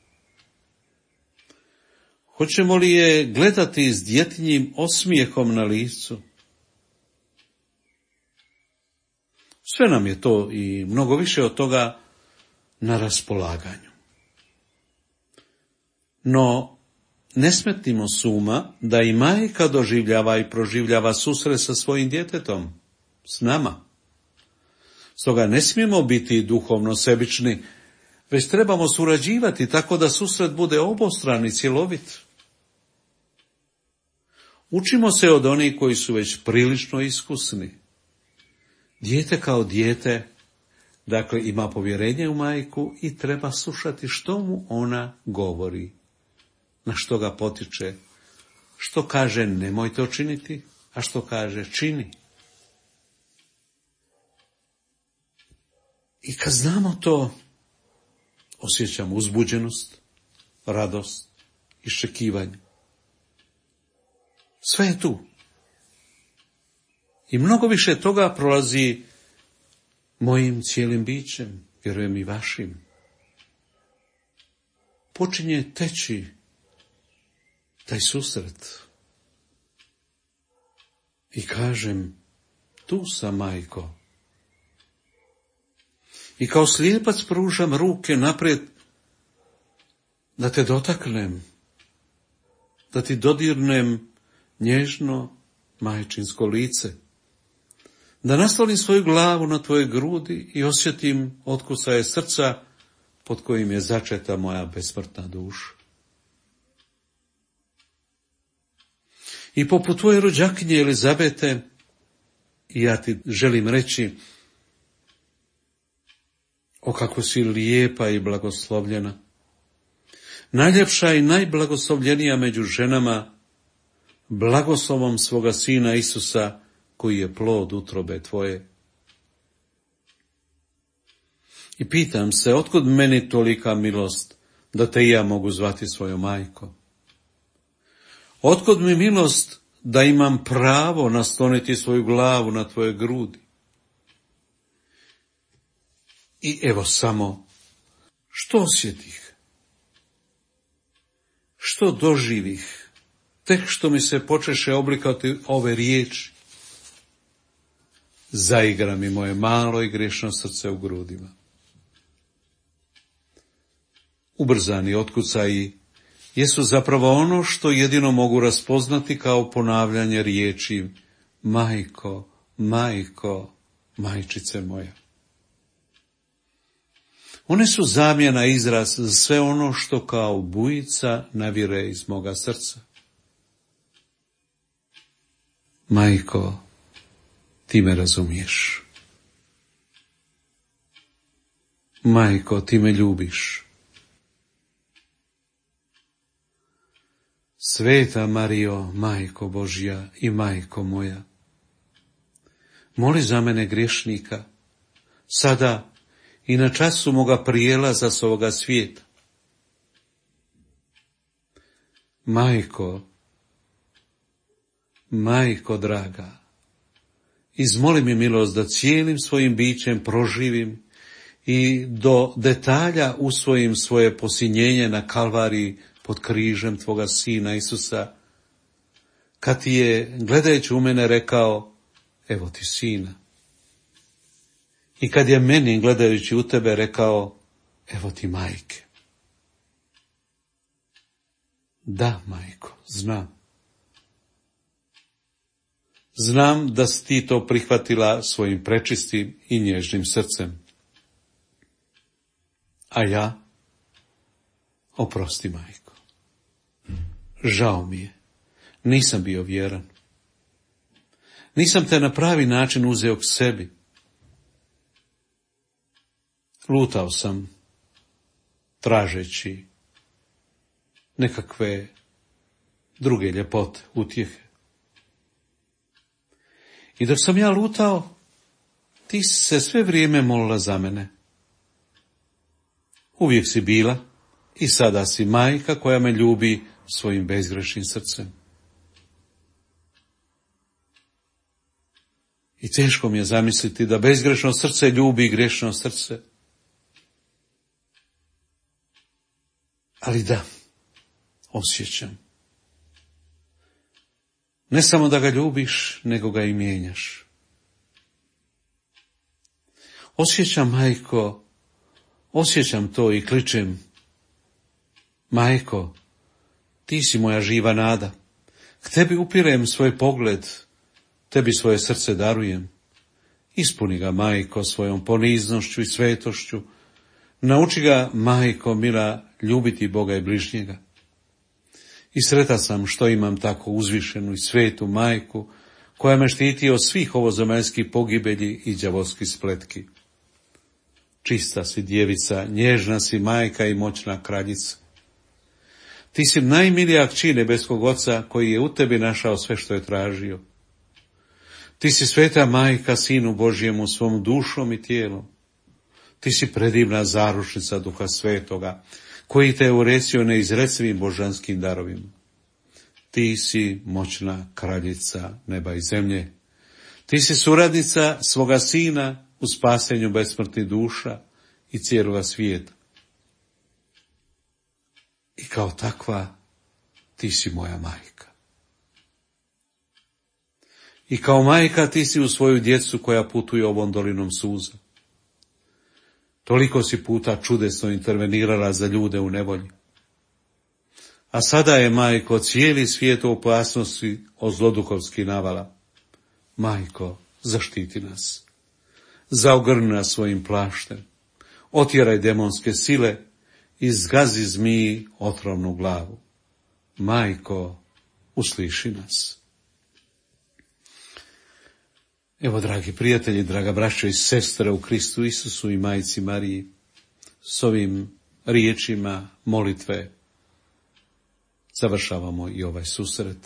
Hoćemo li je gledati s djetinjim osmijehom na licu? Sve nam je to i mnogo više od toga na raspolaganju. No, ne smetnimo s uma da i majka doživljava i proživljava susret sa svojim djetetom, s nama. Stoga ne smijemo biti duhovno sebični, već trebamo surađivati tako da susret bude obostran i cjelovit. Učimo se od onih koji su već prilično iskusni. Dijete kao dijete, dakle, ima povjerenje u majku i treba slušati što mu ona govori, na što ga potiče, što kaže nemoj to činiti, a što kaže čini. I kad znamo to, osjećamo uzbuđenost, radost, iščekivanje. Sve je tu. I mnogo više toga prolazi mojim cijelim bićem, vjerujem i vašim. Počinje teći taj susret. I kažem, tu sam, majko. I kao slijepac pružam ruke naprijed da te dotaknem, da ti dodirnem nježno majčinsko lice, da naslonim svoju glavu na tvoje grudi i osjetim otkucaje srca pod kojim je začeta moja besmrtna duša. I poput tvoje rođakinje Elizabete, I ja ti želim reći, o kako si lijepa i blagoslovljena. Najljepša i najblagoslovljenija među ženama, blagoslovom svoga Sina Isusa, koji je plod utrobe tvoje. I pitam se, otkud meni tolika milost, da te i ja mogu zvati svojom majkom? Otkud mi milost da imam pravo nasloniti svoju glavu na tvoje grudi? I evo samo, što osjetih, što doživih, tek što mi se počeše oblikati ove riječi. Zaigra mi moje malo i grešno srce u grudima. Ubrzani otkucaji jesu zapravo ono što jedino mogu raspoznati kao ponavljanje riječi majko, majko, majčice moja. One su zamjena izraz za sve ono što kao bujica navire iz moga srca. Majko, ti me razumiješ. Majko, ti me ljubiš. Sveta Marijo, Majko Božja i Majko moja, moli za mene griješnika, sada i na času moga prijelaza s ovoga svijeta. Majko, Majko draga, izmoli mi milost da cijelim svojim bićem proživim i do detalja usvojim svoje posinjenje na Kalvariji pod križem tvoga Sina Isusa, kad ti je, gledajući u mene, rekao, evo ti sina. I kad je meni, gledajući u tebe, rekao, evo ti majke. Da, majko, znam. Znam da si ti to prihvatila svojim prečistim i nježnim srcem. A ja, oprosti, majko. Žao mi je, nisam bio vjeran. Nisam te na pravi način uzeo k sebi. Lutao sam, tražeći nekakve druge ljepote, utjehe. I dok sam ja lutao, ti si se sve vrijeme molila za mene. Uvijek si bila i sada si majka koja me ljubi svojim bezgrešnim srcem. I teško mi je zamisliti da bezgrešno srce ljubi grešno srce. Ali da, osjećam. Ne samo da ga ljubiš, nego ga i mijenjaš. Osjećam, majko, osjećam to i kličem. Majko, ti si moja živa nada. K tebi upirem svoj pogled, tebi svoje srce darujem. Ispuni ga, majko, svojom poniznošću i svetošću. Nauči ga, majko mila, ljubiti Boga i bližnjega. I sretan sam što imam tako uzvišenu i svetu majku, koja me štiti od svih ovozemaljskih pogibelji i đavolskih spletki. Čista si djevica, nježna si majka i moćna kraljica. Ti si najmilija kći nebeskog Oca, koji je u tebi našao sve što je tražio. Ti si sveta majka Sinu Božjemu svom dušom i tijelom. Ti si predivna zaručnica Duha Svetoga, koji te je urecio neizrecivim božanskim darovima. Ti si moćna kraljica neba i zemlje. Ti si suradnica svoga Sina u spasenju besmrtnih duša i cijeloga svijeta. I kao takva ti si moja majka. I kao majka ti si u svoju djecu koja putuje ovom dolinom suza. Toliko si puta čudesno intervenirala za ljude u nevolji. A sada je, majko, cijeli svijet u opasnosti od zloduhovskih navala. Majko, zaštiti nas. Zaogrni nas svojim plaštem. Otjeraj demonske sile i zgazi zmiji otrovnu glavu. Majko, usliši nas. Evo, dragi prijatelji, draga braćo i sestre u Kristu Isusu i Majci Mariji, s ovim riječima molitve završavamo i ovaj susret.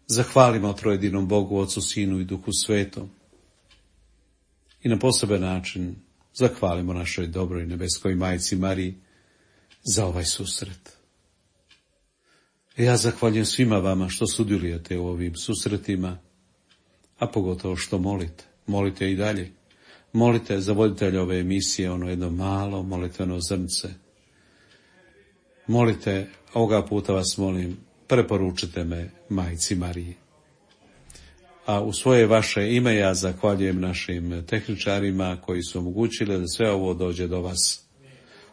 Zahvalimo trojedinom Bogu, Ocu, Sinu i Duhu Svetom. I na poseban način zahvalimo našoj dobroj nebeskoj Majci Mariji za ovaj susret. Ja zahvaljujem svima vama što sudjelujete u ovim susretima, a pogotovo što molite. Molite i dalje. Molite za voditelja ove emisije, ono jedno malo molitveno zrnce. Molite, ovoga puta vas molim, preporučite me Majci Mariji. A u svoje vaše ime ja zahvaljujem našim tehničarima koji su omogućili da sve ovo dođe do vas.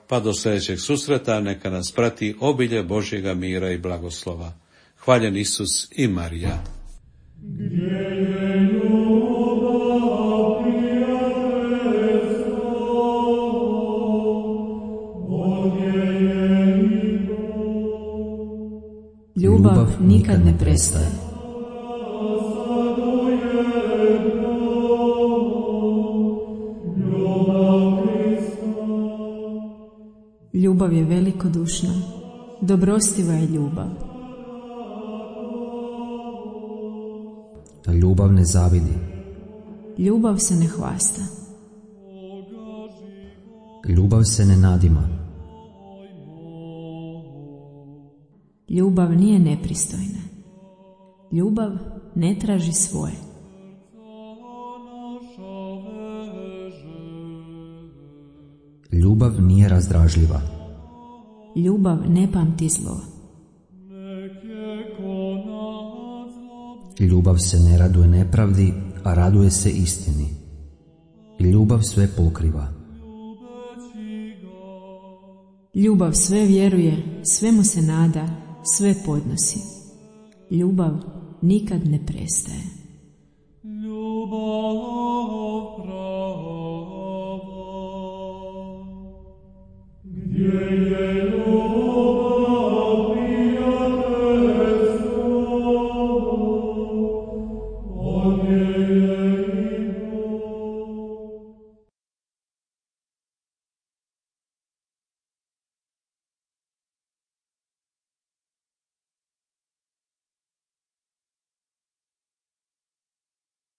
Pa do sljedećeg susreta neka nas prati obilje Božjega mira i blagoslova. Hvaljen Isus i Marija. Ljubav nikad ne prestaje. Ljubav je velikodušna, dobrostiva je ljubav. Ljubav ne zavidi. Ljubav se ne hvasta. Ljubav se ne nadima. Ljubav nije nepristojna. Ljubav ne traži svoje. Ljubav nije razdražljiva. Ljubav ne pamti zlo. Ljubav se ne raduje nepravdi, a raduje se istini. Ljubav sve pokriva. Ljubav sve vjeruje, svemu se nada, sve podnosi. Ljubav nikad ne prestaje. Ljubav prava, gdje je